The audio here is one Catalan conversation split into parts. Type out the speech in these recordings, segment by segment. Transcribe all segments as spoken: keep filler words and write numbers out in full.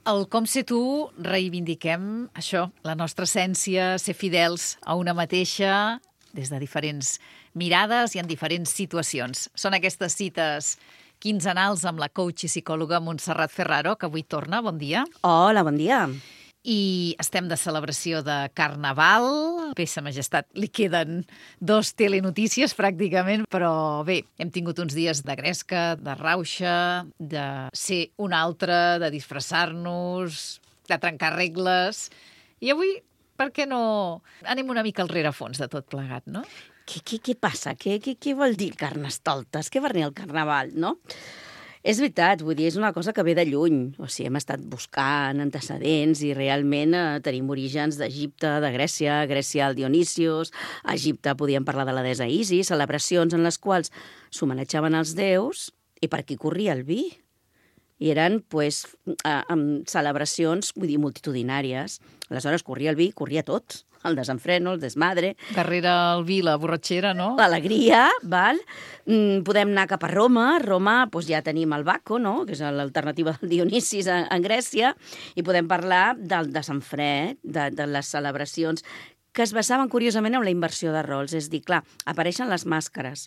Al Com ser tu reivindiquem això, la nostra essència, ser fidels a una mateixa des de diferents mirades i en diferents situacions. Són aquestes cites quinzenals amb la coach i psicòloga Montserrat Ferraro, que avui torna. Bon dia. Hola, bon dia. I estem de celebració de Carnaval. Bé, sa majestat, li queden dos telenotícies pràcticament, però bé, hem tingut uns dies de gresca, de rauxa, de ser un altre, de disfressar-nos, de trencar regles. I avui, per què no anem una mica al rerefons de tot plegat, no? Què, què, què passa? Què, què, què vol dir Carnestoltes? Què va venir el Carnaval, no? És veritat, vull dir, és una cosa que ve de lluny. O sigui, hem estat buscant antecedents i realment eh, tenim orígens d'Egipte, de Grècia, Grècia al Dionisios, a Egipte podíem parlar de la deessa Isis, celebracions en les quals s'homenatjaven els déus i per aquí corria el vi. I eren, pues, eh, amb celebracions, vull dir, multitudinàries. Aleshores, corria el vi, corria tot. El desenfreno, el desmadre. Darrere el vi, la borratxera, no? L'alegria, val? Mm, podem anar cap a Roma. A Roma doncs ja tenim el Baco, no? Que és l'alternativa del Dionisis en, en Grècia. I podem parlar del desenfred, de, de les celebracions que es basaven curiosament en la inversió de rols. És dir, clar, apareixen les màscares,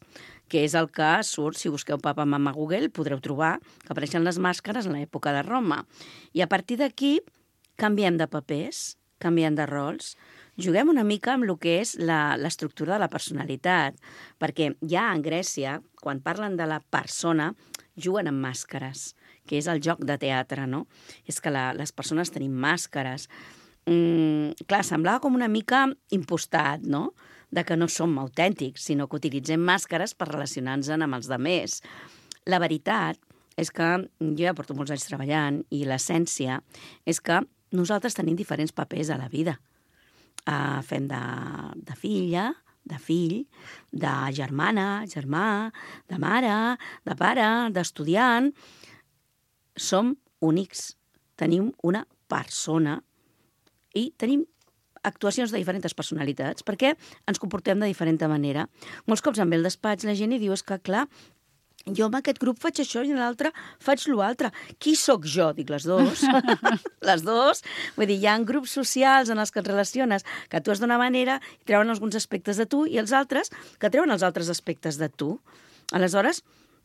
que és el que surt, si busqueu Papa Mama Google, podreu trobar que apareixen les màscares en l'època de Roma. I a partir d'aquí canviem de papers, canviem de rols, juguem una mica amb el que és la, l'estructura de la personalitat, perquè ja en Grècia, quan parlen de la persona, juguen amb màscares, que és el joc de teatre, no? És que la, les persones tenim màscares. Mm, clar, semblava com una mica impostat, no?, de que no som autèntics, sinó que utilitzem màscares per relacionar-nos amb els altres. La veritat és que jo ja porto molts anys treballant i l'essència és que nosaltres tenim diferents papers a la vida. Uh, fem de, de filla, de fill, de germana, germà, de mare, de pare, d'estudiant. Som únics, tenim una persona i tenim actuacions de diferents personalitats perquè ens comportem de diferent manera. Molts cops em ve al despatx la gent i diu, és que clar, jo en aquest grup faig això i en l'altre faig l'altre. Qui sóc jo? Dic, les dos. Les dos. Vull dir, hi ha grups socials en els que et relaciones que tu has d'una manera i treuen alguns aspectes de tu i els altres que treuen els altres aspectes de tu. Aleshores,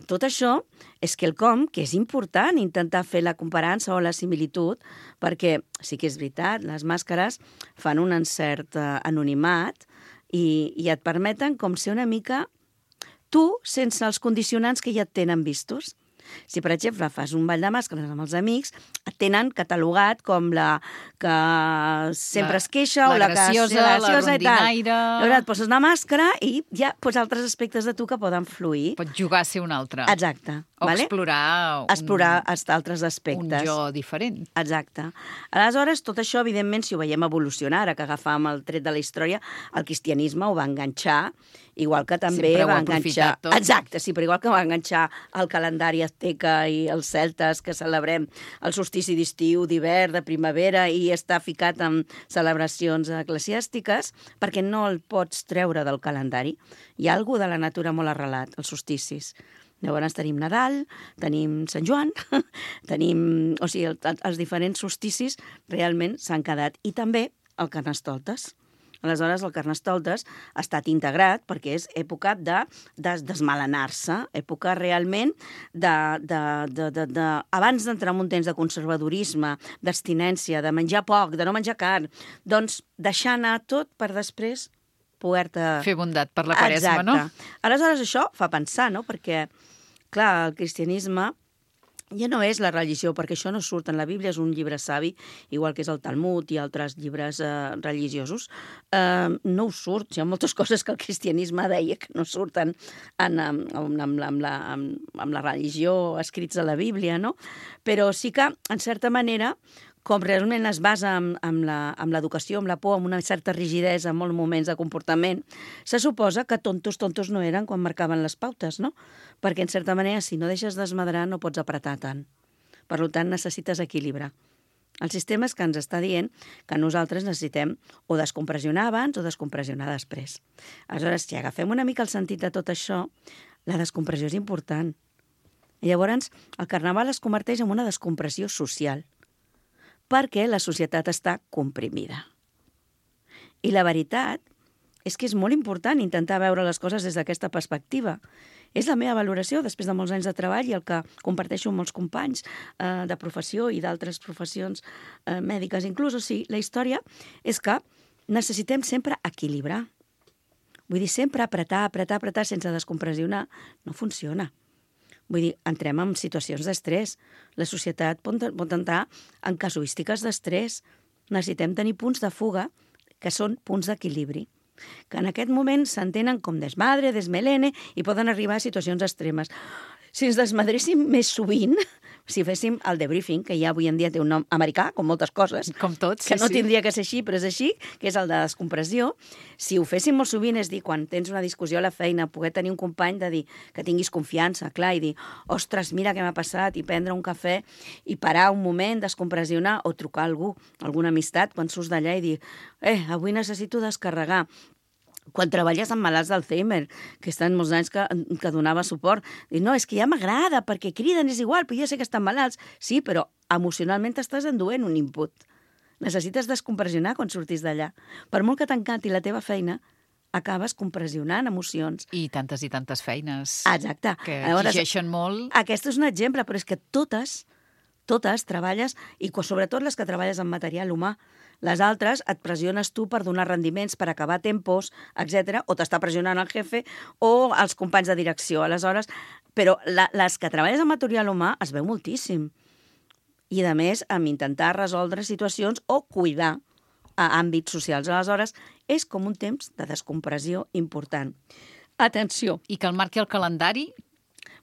tot això és quelcom que és important intentar fer la comparança o la similitud perquè sí que és veritat, les màscares fan un encert anonimat i, i et permeten com ser una mica tu, sense els condicionants que ja et tenen vistos. Si, per exemple, fas un ball de màscares amb els amics, et tenen catalogat com la que sempre la, es queixa o la graciosa, que és graciosa la rondinaire. Llavors et poses una màscara i ja pots altres aspectes de tu que poden fluir. Pots jugar a ser un altre. Exacte. O vale? explorar un, explorar altres aspectes. Un jo diferent. Exacte. Aleshores, tot això, evidentment, si ho veiem evolucionar, ara que agafàvem el tret de la història, el cristianisme ho va enganxar, igual que també Sempre va enganxar... Tot. Exacte, sí, però igual que va enganxar el calendari azteca i els celtes, que celebrem el solstici d'estiu, d'hivern, de primavera, i està ficat en celebracions eclesiàstiques, perquè no el pots treure del calendari. Hi ha algú de la natura molt arrelat, els solsticis. Llavors tenim Nadal, tenim Sant Joan, tenim... O sigui, el, els diferents solsticis realment s'han quedat. I també el Carnestoltes. Aleshores, el Carnestoltes ha estat integrat perquè és època de, de desmelenar-se, època realment de, de, de, de, de... abans d'entrar en un temps de conservadorisme, d'abstinència, de menjar poc, de no menjar carn, doncs deixar anar tot per després poder-te... Fer bondat per la Quaresma, Exacte. no? Aleshores, això fa pensar, no? Perquè, clar, el cristianisme ja no és la religió, perquè això no surt en la Bíblia, és un llibre savi, igual que és el Talmud i altres llibres eh, religiosos. Eh, no ho surt, hi ha moltes coses que el cristianisme deia que no surten en, en, en, en, en, la, en, en la religió escrits a la Bíblia, no? Però sí que, en certa manera, com realment es basa en, en, la, en l'educació, amb la por, amb una certa rigidesa en molts moments de comportament, se suposa que tontos, tontos no eren quan marcaven les pautes, no? Perquè, en certa manera, si no deixes desmadrar, no pots apretar tant. Per tant, necessites equilibrar. El sistema és que ens està dient que nosaltres necessitem o descompressionar abans o descompressionar després. Aleshores, si agafem una mica el sentit de tot això, la descompressió és important. I llavors, el Carnaval es converteix en una descompressió social. perquè la societat està comprimida. I la veritat és que és molt important intentar veure les coses des d'aquesta perspectiva. És la meva valoració després de molts anys de treball i el que comparteixo amb molts companys eh, de professió i d'altres professions eh, mèdiques inclús. O sigui, la història és que necessitem sempre equilibrar. Vull dir, sempre apretar, apretar, apretar sense descompressionar no funciona. Vull dir, entrem en situacions d'estrès. La societat pot, pot entrar en casuístiques d'estrès. Necessitem tenir punts de fuga que són punts d'equilibri, que en aquest moment s'entenen com desmadre, desmelene i poden arribar a situacions extremes. Si ens desmadréssim més sovint, si féssim el debriefing, que ja avui en dia té un nom americà, com moltes coses, com tot, sí, que no sí. tindria que ser així, però és així, que és el de descompressió, si ho féssim molt sovint, és dir, quan tens una discussió a la feina, poder tenir un company de dir que tinguis confiança, clar, i dir, ostres, mira què m'ha passat, i prendre un cafè, i parar un moment, descompressionar, o trucar a algú, alguna amistat, quan surts d'allà i dir, eh, avui necessito descarregar. Quan treballes amb malalts d'Alzheimer, que estan molts anys que, que donava suport, dius, no, és que ja m'agrada, perquè criden, és igual, però ja sé que estan malalts. Sí, però emocionalment t'estàs enduent un input. Necessites descompressionar quan surtis d'allà. Per molt que t'encanti la teva feina, acabes compressionant emocions. I tantes i tantes feines. Exacte. Que Llavors, exigeixen molt. Aquest és un exemple, però és que totes, totes treballes, i sobretot les que treballes amb material humà. Les altres et pressiones tu per donar rendiments, per acabar tempos, etcètera, o t'està pressionant el jefe o els companys de direcció. Aleshores, però la, les que treballes amb material humà es veu moltíssim. I, a més, amb intentar resoldre situacions o cuidar a àmbits socials. Aleshores, és com un temps de descompressió important. Atenció. I que el marqui el calendari.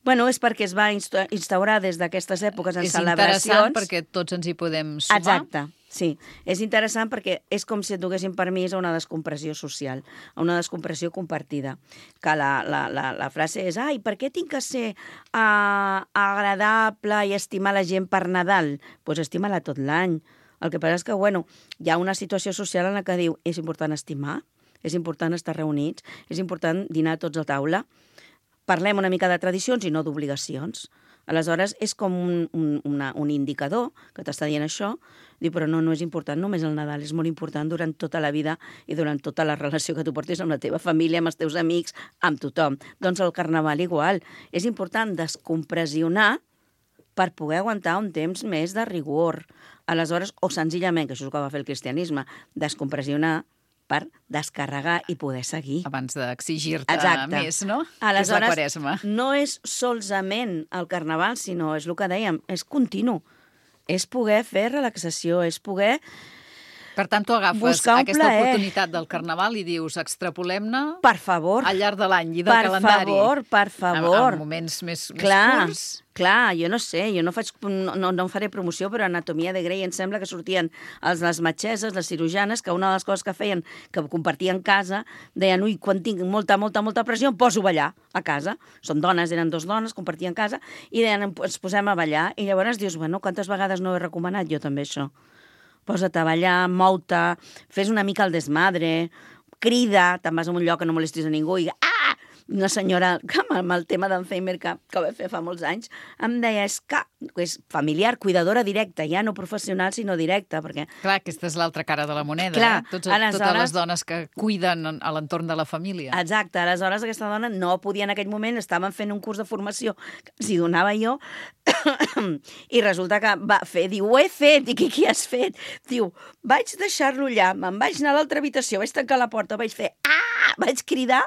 Bueno, és perquè es va instaurar des d'aquestes èpoques en és celebracions. És interessant perquè tots ens hi podem sumar. Exacte, sí. És interessant perquè és com si et donessin permís a una descompressió social, a una descompressió compartida. Que la, la, la, la frase és, ai, per què tinc que ser uh, agradable i estimar la gent per Nadal? Doncs pues estima-la tot l'any. El que passa és que, bueno, hi ha una situació social en la que diu, és important estimar, és important estar reunits, és important dinar tots a taula. Parlem una mica de tradicions i no d'obligacions. Aleshores, és com un, un, una, un indicador que t'està dient això, diu, però no, no és important només el Nadal, és molt important durant tota la vida i durant tota la relació que tu portis amb la teva família, amb els teus amics, amb tothom. Doncs el Carnaval igual. És important descompressionar per poder aguantar un temps més de rigor. Aleshores, o senzillament, que això és el que va fer el cristianisme, descompressionar per descarregar i poder seguir. Abans d'exigir-te més, no? Aleshores, és la Quaresma. No és solament el Carnaval, sinó, és el que dèiem, és continu. És poder fer relaxació, és poder... Per tant, tu agafes aquesta plaer. Oportunitat del Carnaval i dius, extrapolem-ne per favor. Al llarg de l'any i del per calendari. Per favor, per favor. En, en moments més, clar, més curts. Clar, jo no sé, jo no, faig, no, no, no faré promoció, però Anatomia de Grey em sembla que sortien els, les metgesses, les cirujanes, que una de les coses que feien, que compartien casa, deien, ui, quan tinc molta, molta, molta pressió, em poso a ballar a casa. Són dones, eren dos dones, compartien casa, i deien, ens posem a ballar. I llavors dius, bueno, quantes vegades no he recomanat jo també això? Posa't a ballar, mou-te, fes una mica el desmadre, crida, te'n vas a un lloc que no molestis a ningú i ah! Una senyora, que amb el tema d'Alzheimer que, que va fer fa molts anys, em deia, és que és familiar, cuidadora directa, ja no professional, sinó directa, perquè... Clar, aquesta és l'altra cara de la moneda, clar, eh? Tots, aleshores... Totes les dones que cuiden a l'entorn de la família. Exacte, aleshores aquesta dona no podia en aquell moment, estaven fent un curs de formació que els hi donava jo, i resulta que va fer, diu, ho he fet, i què, què has fet? Diu, vaig deixar-lo allà, me'n vaig anar a l'altra habitació, vaig tancar la porta, vaig fer, ah! Vaig cridar,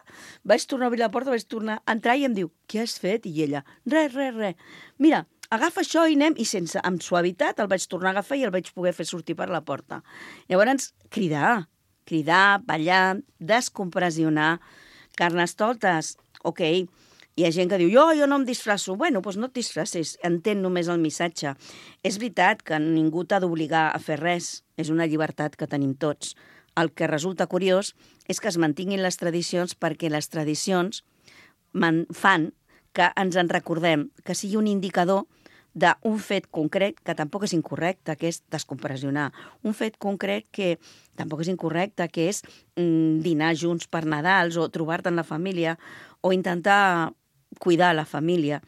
vaig tornar a obrir la porta, vaig tornar a entrar i em diu, què has fet? I ella, res, res, res. Mira, agafa això i anem, i sense, amb suavitat el vaig tornar a agafar i el vaig poder fer sortir per la porta. Llavors, cridar, cridar, ballar, descompressionar, carnestoltes, ok, hi ha gent que diu, jo, jo no em disfrasso. Bueno, doncs no et disfressis, entén només el missatge. És veritat que ningú t'ha d'obligar a fer res, és una llibertat que tenim tots. El que resulta curiós és que es mantinguin les tradicions perquè les tradicions fan que ens en recordem, que sigui un indicador d'un fet concret que tampoc és incorrecte, que és descompressionar. Un fet concret que tampoc és incorrecte, que és mm, dinar junts per Nadals o trobar-te en la família o intentar cuidar la família.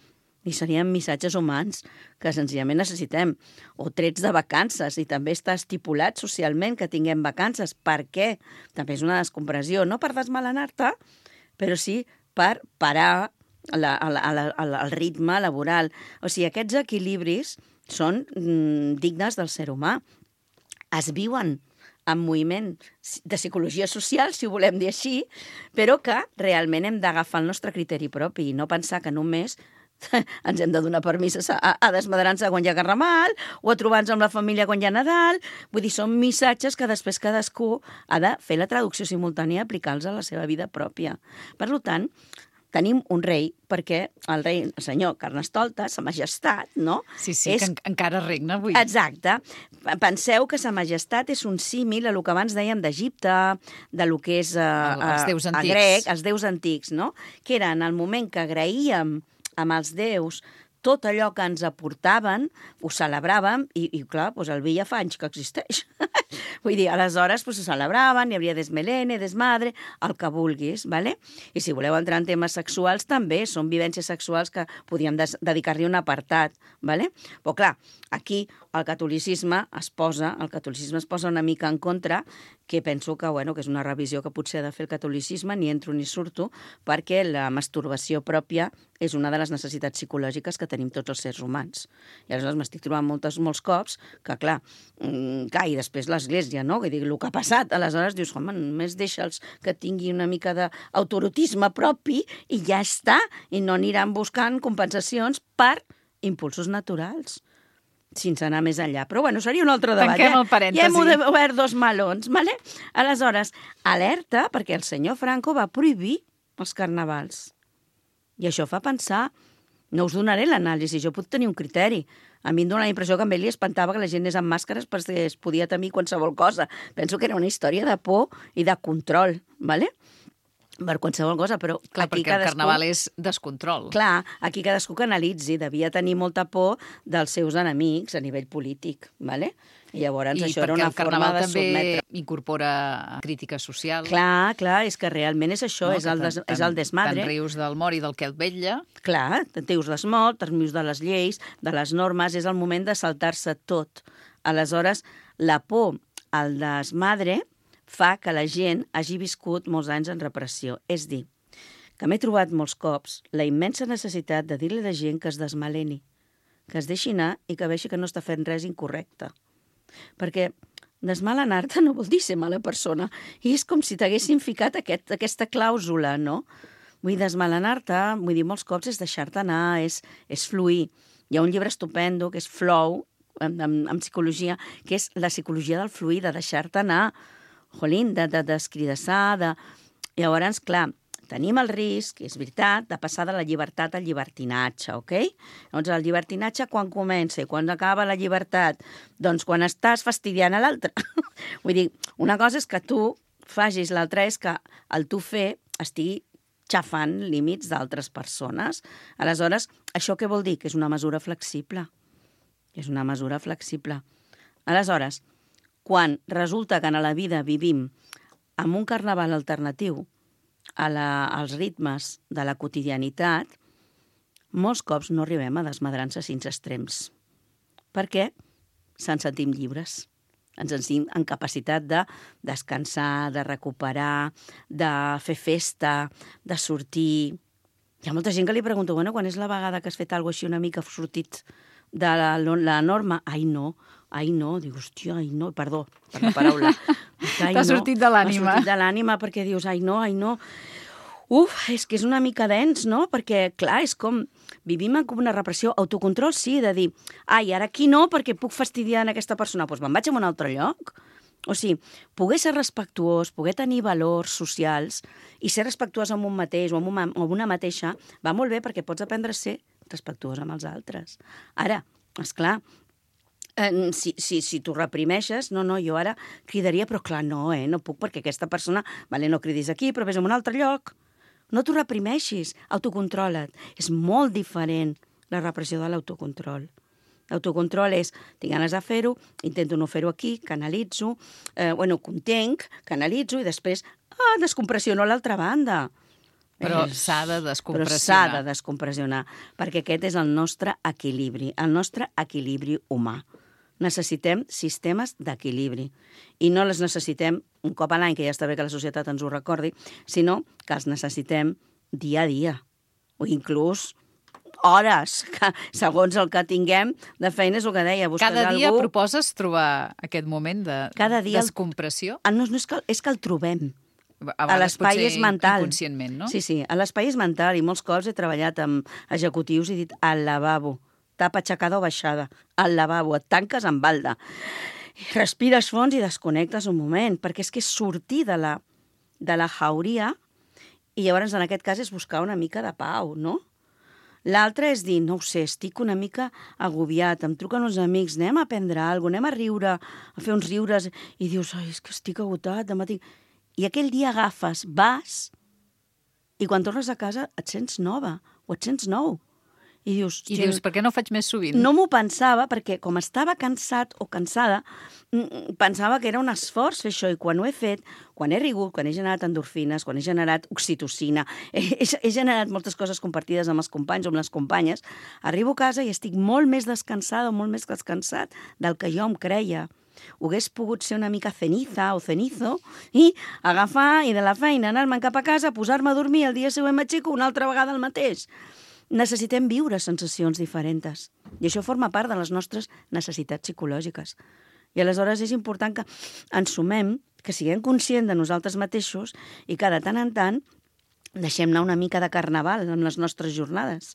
i serien missatges humans que senzillament necessitem, o trets de vacances, i també està estipulat socialment que tinguem vacances. Per què? També és una descompressió, no per desmelenar-te, però sí per parar la, la, la, el ritme laboral. O sigui, aquests equilibris són mm, dignes del ser humà. Es viuen en moviment de psicologia social, si ho volem dir així, però que realment hem d'agafar el nostre criteri propi i no pensar que només ens hem de donar permís a, a desmadrar-nos quan hi ha Carnaval o a trobar-nos amb la família quan hi ha Nadal. Vull dir, són missatges que després cadascú ha de fer la traducció simultània i aplicar-los a la seva vida pròpia. Per tant, tenim un rei, perquè el rei, el senyor Carnestoltes, sa majestat, no? Sí, sí, és... que en encara regna avui. Exacte. Penseu que sa majestat és un símil a lo que abans dèiem d'Egipte, de lo que és a, a, els déus antics. a grec, els déus antics, no? Que era en el moment que agraïem amb els déus tot allò que ens aportaven, ho celebràvem, i, i clar, doncs el vi ja fa anys que existeix. Vull dir, aleshores doncs, ho celebraven, hi havia desmelene, desmadre, el que vulguis, ¿vale? I si voleu entrar en temes sexuals, també són vivències sexuals que podíem dedicar-li un apartat, ¿vale? Però clar, aquí el catolicisme es posa, el catolicisme es posa una mica en contra, que penso que, bueno, que és una revisió que potser ha de fer el catolicisme, ni entro ni surto, perquè la masturbació pròpia és una de les necessitats psicològiques que tenim tots els sers humans. I aleshores m'estic trobant moltes, molts cops que, clar, clar, i després l'Església, no? Que dic, el que ha passat, aleshores dius, home, només deixa'ls que tingui una mica d'autorotisme propi i ja està, i no aniran buscant compensacions per impulsos naturals, sense anar més enllà. Però, bueno, seria un altre debat. Tanquem el parèntesi. Ja hem obert dos melons, ¿vale? Aleshores, alerta, perquè el senyor Franco va prohibir els carnavals. I això fa pensar... No us donaré l'anàlisi, jo puc tenir un criteri. A mi em dóna la impressió que a ell li espantava que la gent anés amb màscares perquè es podia temir qualsevol cosa. Penso que era una història de por i de control, ¿vale? Per qualsevol cosa, però... Clar, aquí perquè cadascú... el carnaval és descontrol. Clar, aquí cadascú que analitzi, devia tenir molta por dels seus enemics a nivell polític, ¿vale? I llavors I això era una forma de sotmetre. I perquè el carnaval també incorpora crítica social. Clar, clar, és que realment és això, no, és, el des, tant, és el desmadre. Tant rius del mort i del que et vetlla. Clar, te'n rius del mort, te'n rius de les lleis, de les normes, és el moment de saltar-se tot. Aleshores, la por al desmadre fa que la gent hagi viscut molts anys en repressió. És dir, que m'he trobat molts cops la immensa necessitat de dir-li a la gent que es desmaleni, que es deixi anar i que vegi que no està fent res incorrecte. Perquè desmalenar-te no vol dir ser mala persona. I és com si t'haguessin ficat aquest, aquesta clàusula, no? Vull dir, desmalenar-te, vull dir, molts cops és deixar-te anar, és, és fluir. Hi ha un llibre estupendo que és Flow, en, en, en psicologia, que és la psicologia del fluir, de deixar-te anar. Jolín, de, de descridassar, de... Llavors, clar, tenim el risc, és veritat, de passar de la llibertat al llibertinatge, ok? Doncs el llibertinatge quan comença i quan acaba la llibertat? Doncs quan estàs fastidiant a l'altre. Vull dir, una cosa és que tu facis, l'altra és que el tu fer estigui xafant límits d'altres persones. Aleshores, això què vol dir? Que és una mesura flexible. És una mesura flexible. Aleshores, quan resulta que a la vida vivim amb un carnaval alternatiu, a la, als ritmes de la quotidianitat, molts cops no arribem a desmadrar-nos fins extrems. Per què? Se'n sentim lliures. Ens sentim en capacitat de descansar, de recuperar, de fer festa, de sortir. Hi ha molta gent que li pregunta, bueno, quan és la vegada que has fet alguna cosa així una mica sortit de la, la norma? Ai, no, ai, no. Dius, hòstia, ai, no, perdó per la paraula. T'ha no, sortit de l'ànima. M'ha sortit de l'ànima perquè dius, ai, no, ai, no. Uf, és que és una mica dens, no? Perquè, clar, és com... Vivim com una repressió. Autocontrol, sí, de dir, ai, ara aquí no, perquè puc fastidiar en aquesta persona. Doncs me'n vaig a un altre lloc. O sigui, poder ser respectuós, poder tenir valors socials i ser respectuós amb un mateix o amb una, amb una mateixa va molt bé perquè pots aprendre a ser respectuós amb els altres. Ara, esclar, eh, si, si, si tu reprimeixes, no, no, jo ara cridaria, però clar, no, eh, no puc perquè aquesta persona, vale, no cridis aquí, però vés a un altre lloc. No t'ho reprimeixis, autocontrola't. És molt diferent la repressió de l'autocontrol. L'autocontrol és, tinc ganes de fer-ho, intento no fer-ho aquí, canalitzo, eh, bueno, contenc, canalitzo i després, ah, descompressiono a l'altra banda. Però És- s'ha de Però descompressionar. s'ha de descompressionar, perquè aquest és el nostre equilibri, el nostre equilibri humà. Necessitem sistemes d'equilibri. I no les necessitem un cop a l'any, que ja està bé que la societat ens ho recordi, sinó que els necessitem dia a dia. O inclús hores, que segons el que tinguem de feina és el que deia. Busques Cada dia algú... proposes trobar aquest moment de Cada dia el- descompressió? Ah, no, no és, que, és que el trobem. A A vegades l'espai potser és mental. inconscientment, no? Sí, sí, a l'espai és mental i molts cops he treballat amb executius i he dit al lavabo, tapa aixecada o baixada, al lavabo, et tanques amb balda. Respires fons i desconnectes un moment, perquè és que és sortir de la, de la jauria i llavors en aquest cas és buscar una mica de pau, no? L'altre és dir, no ho sé, estic una mica agobiat, em truquen uns amics, anem a prendre alguna cosa, anem a riure, a fer uns riures, i dius, ai, és que estic agotat, demà tinc... I aquell dia agafes, vas, i quan tornes a casa et sents nova, o et sents nou. I dius, I dius, per què no ho faig més sovint? no m'ho pensava, perquè com estava cansat o cansada, mm, pensava que era un esforç fer això, i quan ho he fet, quan he rigut, quan he generat endorfines, quan he generat oxitocina, he, he, he generat moltes coses compartides amb els companys o amb les companyes, arribo a casa i estic molt més descansada o molt més descansat del que jo em creia. Hagués pogut ser una mica ceniza o cenizo i agafar i de la feina anar-me'n cap a casa, posar-me a dormir, el dia següent m'aixeco una altra vegada el mateix. Necessitem viure sensacions diferents. I això forma part de les nostres necessitats psicològiques. I aleshores és important que ens sumem, que siguem conscients de nosaltres mateixos i que de tant en tant deixem anar una mica de carnaval en les nostres jornades.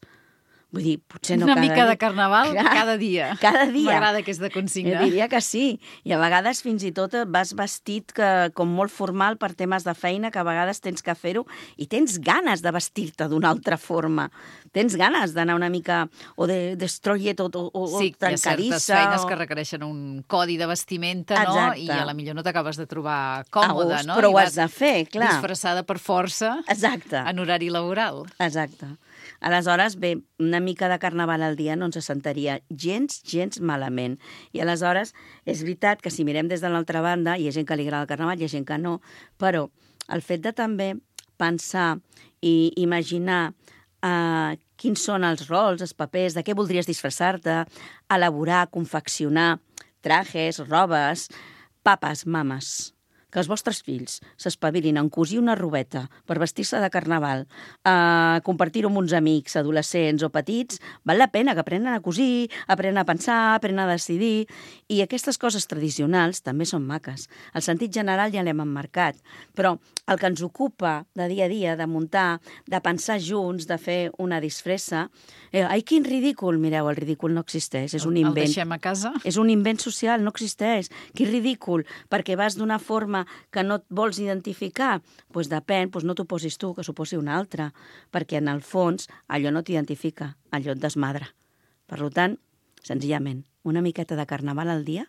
Vull dir, potser no Una cada mica dia. de carnaval Clar, cada dia. Cada dia. M'agrada aquesta Jo consigna. diria que sí. I a vegades fins i tot vas vestit que, com molt formal per temes de feina, que a vegades tens que fer-ho i tens ganes de vestir-te d'una altra forma. Tens ganes d'anar una mica o de destroyer tot o, o, Sí, o hi ha trencadissa. certes feines o... que requereixen un codi de vestimenta, no? Exacte. I a la millor no t'acabes de trobar còmode, A gust, no? però I ho vas has de fer, clar. disfressada per força Exacte. en horari laboral. Exacte. Aleshores, bé, una mica de carnaval al dia no ens sentaria gens, gens malament. I aleshores, és veritat que si mirem des de l'altra banda, hi ha gent que li agrada el carnaval, hi ha gent que no, però el fet de també pensar i imaginar eh, quins són els rols, els papers, de què voldries disfressar-te, elaborar, confeccionar trajes, robes, papes, mames, que els vostres fills s'espavilin en cosir una robeta per vestir-se de carnaval, a compartir-ho amb uns amics, adolescents o petits, val la pena que aprenen a cosir, aprenen a pensar, aprenen a decidir, i aquestes coses tradicionals també són maques. El sentit general ja l'hem emmarcat, però el que ens ocupa de dia a dia, de muntar, de pensar junts, de fer una disfressa, eh, ai, quin ridícul! Mireu, el ridícul no existeix, és un El invent. deixem a casa? És un invent social, no existeix. Que ridícul, perquè vas d'una forma que no et vols identificar. Doncs pues depèn, pues no t'ho posis tu, que s'ho posi un altre, perquè en el fons allò no t'identifica, allò et desmadra. Per tant, senzillament, una miqueta de carnaval al dia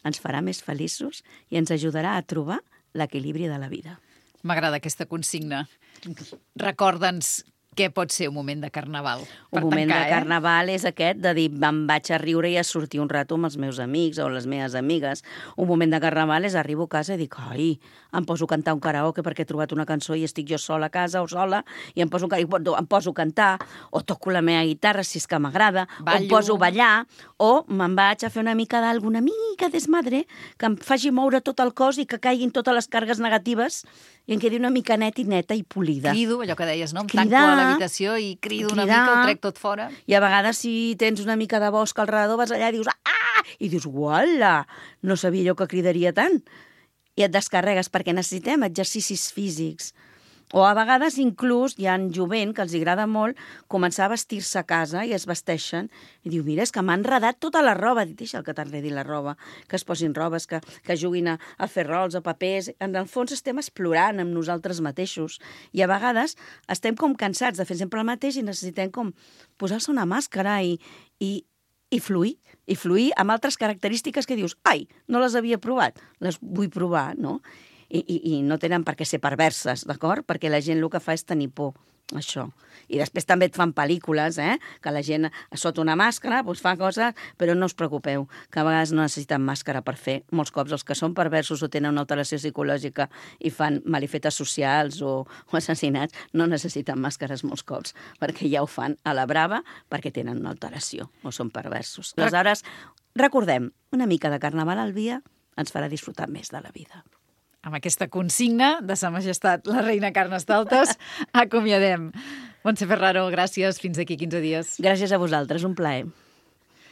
ens farà més feliços i ens ajudarà a trobar l'equilibri de la vida. M'agrada aquesta consigna. Recorda'ns què pot ser un moment de carnaval. Un Per moment tancar, de carnaval és aquest de dir me'n vaig a riure i a sortir un rato amb els meus amics o les meves amigues. Un moment de carnaval és arribo a casa i dic, ai, em poso a cantar un karaoke perquè he trobat una cançó i estic jo sola a casa o sola i em poso, em poso a cantar o toco la meva guitarra si és que m'agrada, o em Ballo. poso a ballar o me'n vaig a fer una mica d'alguna mica desmadre que em faci moure tot el cos i que caiguin totes les càrregues negatives i em quedi una mica net i neta i polida. Crido, allò que deies, no? Em Cridar, tanco a l'habitació i crido una cridar. mica, ho trec tot fora. I a vegades, si tens una mica de bosc al redador, vas allà i dius, ah! I dius, uala, no sabia jo que cridaria tant. I et descarregues, perquè necessitem exercicis físics. O a vegades inclús hi ha jovent que els agrada molt començar a vestir-se a casa i es vesteixen i diu, mira, és que m'ha enredat tota la roba. Dic, deixa que t'enredi la roba, que es posin robes, que, que juguin a, a fer rols, a papers. En el fons estem explorant amb nosaltres mateixos i a vegades estem com cansats de fer sempre el mateix i necessitem com posar-se una màscara i, i, i fluir, i fluir amb altres característiques que dius, ai, no les havia provat, les vull provar, no? I, i, i no tenen per què ser perverses, d'acord? Perquè la gent el que fa és tenir por. això. I després també et fan pel·lícules, eh? Que la gent sota una màscara doncs fa coses, però no us preocupeu, que a vegades no necessiten màscara per fer. Molts cops els que són perversos o tenen una alteració psicològica i fan malifetes socials o, o assassinats no necessiten màscares molts cops, perquè ja ho fan a la brava perquè tenen una alteració o són perversos. Aleshores, recordem, una mica de carnaval al dia ens farà disfrutar més de la vida. Amb aquesta consigna de Sa Majestat la reina Carnestoltes acomiadem. Montse Ferraro, gràcies. Fins aquí quinze dies. Gràcies a vosaltres, un plaer.